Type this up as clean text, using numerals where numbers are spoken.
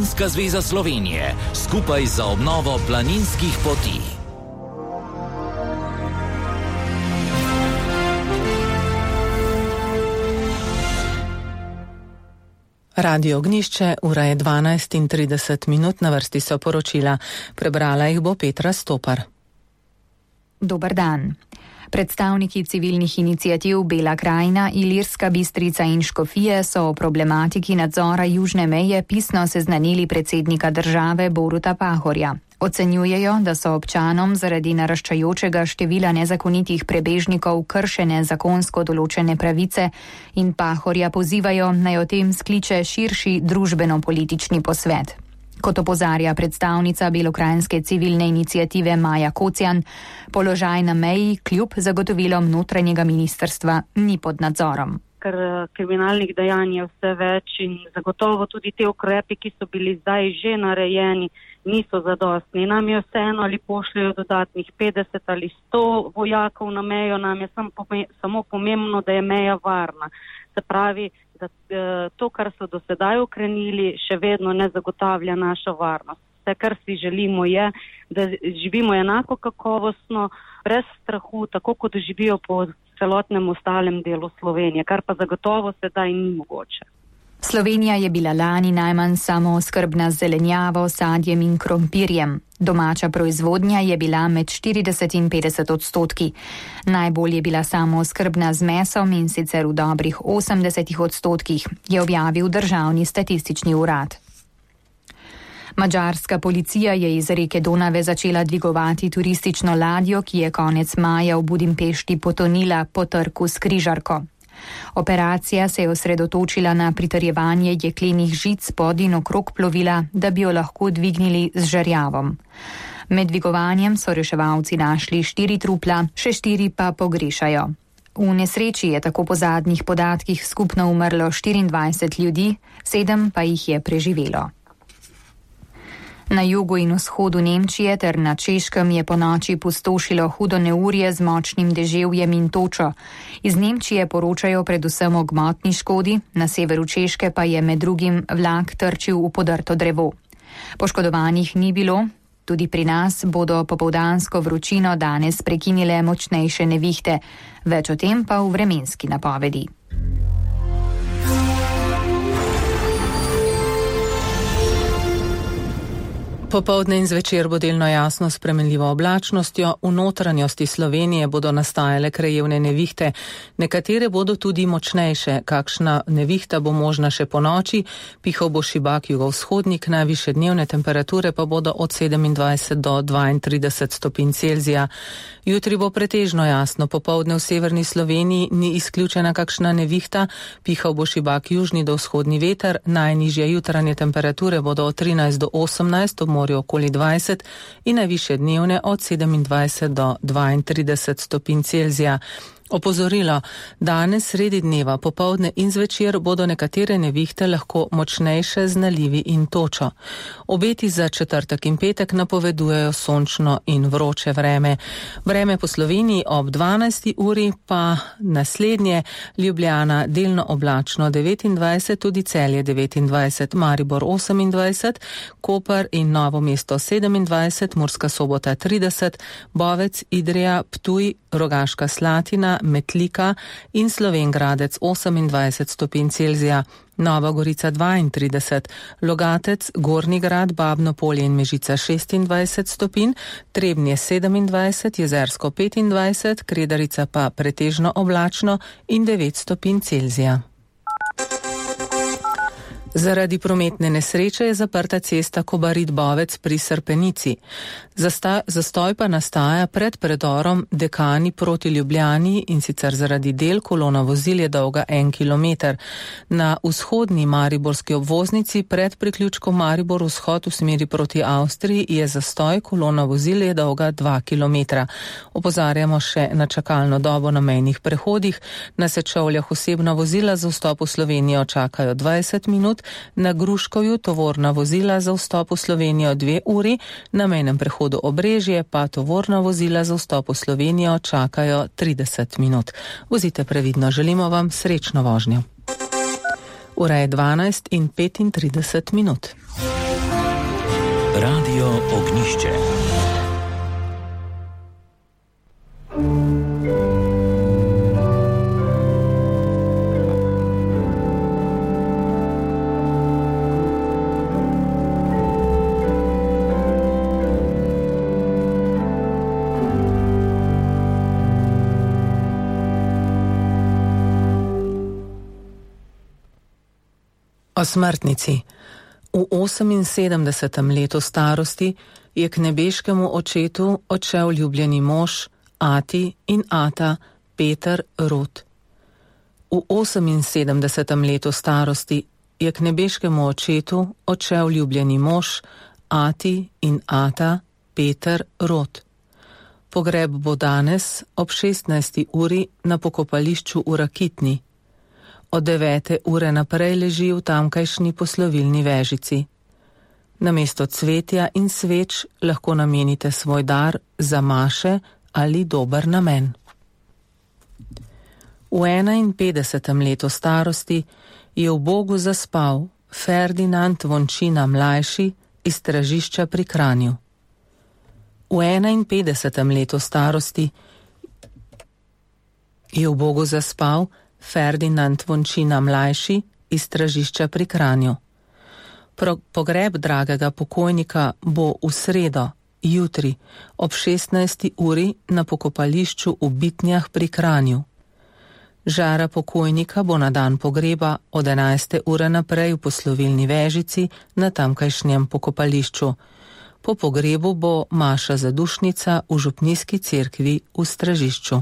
Planinska zveza Slovenije skupaj za obnovo planinskih poti. Radio Ognišče, ura je 12:30, na vrsti so poročila. Prebrala jih bo Petra Stopar. Dober dan. Predstavniki civilnih iniciativ Bela krajina, Ilirska Bistrica in Škofije so o problematiki nadzora južne meje pisno seznanili predsednika države Boruta Pahorja. Ocenjujejo, da so občanom zaradi naraščajočega števila nezakonitih prebežnikov kršene zakonsko določene pravice in Pahorja pozivajo, naj o tem skliče širši družbeno-politični posvet. Kot opozarja predstavnica belokranjske civilne iniciative Maja Kocjan, položaj na meji kljub zagotovilom notranjega ministrstva ni pod nadzorom. Ker kriminalnih dejanj je vse več in zagotovo tudi te ukrepi, ki so bili zdaj že narejeni, niso zadostni. Nam je vseeno, ali pošljajo dodatnih 50 ali 100 vojakov na mejo, nam je samo pomembno, da je meja varna. Se pravi, da to, kar so do sedaj ukrenili, še vedno ne zagotavlja našo varnost. Vse, kar si želimo, je, da živimo enako kakovostno, brez strahu, tako kot živijo po celotnem ostalem delu Slovenije, kar pa zagotovo sedaj ni mogoče. Slovenija je bila lani najmanj samooskrbna z zelenjavo, sadjem in krompirjem. Domača proizvodnja je bila med 40 in 50%. Najbolj je bila samooskrbna z mesom in sicer v dobrih 80%, je objavil Državni statistični urad. Madžarska policija je iz reke Donave začela dvigovati turistično ladjo, ki je konec maja v Budimpešti potonila po trku s križarko. Operacija se je osredotočila na pritrjevanje jeklenih žic pod in okrog plovila, da bi jo lahko dvignili z žerjavom. Med dvigovanjem so reševalci našli 4 trupla, še 4 pa pogrešajo. V nesreči je tako po zadnjih podatkih skupno umrlo 24 ljudi, 7 pa jih je preživelo. Na jugu in vzhodu Nemčije ter na Češkem je ponoči pustošilo hudo neurje z močnim deževjem in točo. Iz Nemčije poročajo predvsem o gmotni škodi, na severu Češke pa je med drugim vlak trčil v podrto drevo. Poškodovanih ni bilo, tudi pri nas bodo popoldansko vročino danes prekinile močnejše nevihte. Več o tem pa v vremenski napovedi. Popoldne in zvečer bo delno jasno s spremenljivo oblačnostjo, v notranjosti Slovenije bodo nastajale krajevne nevihte, nekatere bodo tudi močnejše, kakšna nevihta bo možna še po noči, pihal bo šibak jugovzhodnik, najvišje dnevne temperature pa bodo od 27 do 32 stopinj Celzija. Jutri bo pretežno jasno, popoldne v severni Sloveniji ni izključena kakšna nevihta, pihal bo šibak južni do vzhodni veter, najnižje jutranje temperature bodo od 13 do 18, morju okoli 20 in najvišje dnevne od 27 do 32 stopinj Celzija. Opozorilo, danes sredi dneva, popoldne in zvečer bodo nekatere nevihte lahko močnejše z nalivi in točo. Obeti za četrtek in petek napovedujejo sončno in vroče vreme. Vreme po Sloveniji ob 12. uri pa naslednje: Ljubljana delno oblačno 29, tudi Celje 29, Maribor 28, Koper in Novo mesto 27, Murska Sobota 30, Bovec, Idrija, Ptuj, Rogaška Slatina, Metlika in Slovenj Gradec 28 stopinj Celzija, Nova Gorica 32, Logatec, Gornji Grad, Babno Polje in Mežica 26 stopinj, Trebnje 27, Jezersko 25, Kredarica pa pretežno oblačno in 9 stopinj Celzija. Zaradi prometne nesreče je zaprta cesta Kobarid-Bovec pri Srpenici. Zastoj pa nastaja pred predorom Dekani proti Ljubljani in sicer zaradi del, kolona vozil je dolga 1 kilometer. Na vzhodni mariborski obvoznici pred priključkom Maribor vzhod v smeri proti Avstriji je zastoj, kolona vozil je dolga 2 kilometra. Opozarjamo še na čakalno dobo na mejnih prehodih. Na Sečovljah osebna vozila za vstop v Slovenijo čakajo 20 minut, na Gruškovju tovorna vozila za vstop v Slovenijo 2 uri, na mejnem prehodu Obrežje pa tovorna vozila za vstop v Slovenijo čakajo 30 minut. Vozite previdno, želimo vam srečno vožnjo. Ura je 12:35. Radio Ogniście. O smrtnici. V 78. letu starosti je k nebeškemu očetu odšel ljubljeni mož, ati in ata Peter Rot. V 78. letu starosti je k nebeškemu očetu odšel ljubljeni mož, ati in ata Peter Rot. Pogreb bo danes ob 16. uri na pokopališču v Rakitni. Od 9. ure naprej leži v tamkajšnji poslovilni vežici. Namesto cvetja in sveč lahko namenite svoj dar za maše ali dober namen. V 51. letu starosti je v Bogu zaspal Ferdinand Vončina mlajši iz Stražišča pri Kranju. V 51. letu starosti je v Bogu zaspal Ferdinand Vončina mlajši iz Stražišča pri Kranju. Pogreb dragega pokojnika bo v sredo, jutri, ob 16. uri na pokopališču v Bitnjah pri Kranju. Žara pokojnika bo na dan pogreba od 11. ure naprej v poslovilni vežici na tamkajšnjem pokopališču. Po pogrebu bo maša zadušnica v župnijski cerkvi v Stražišču.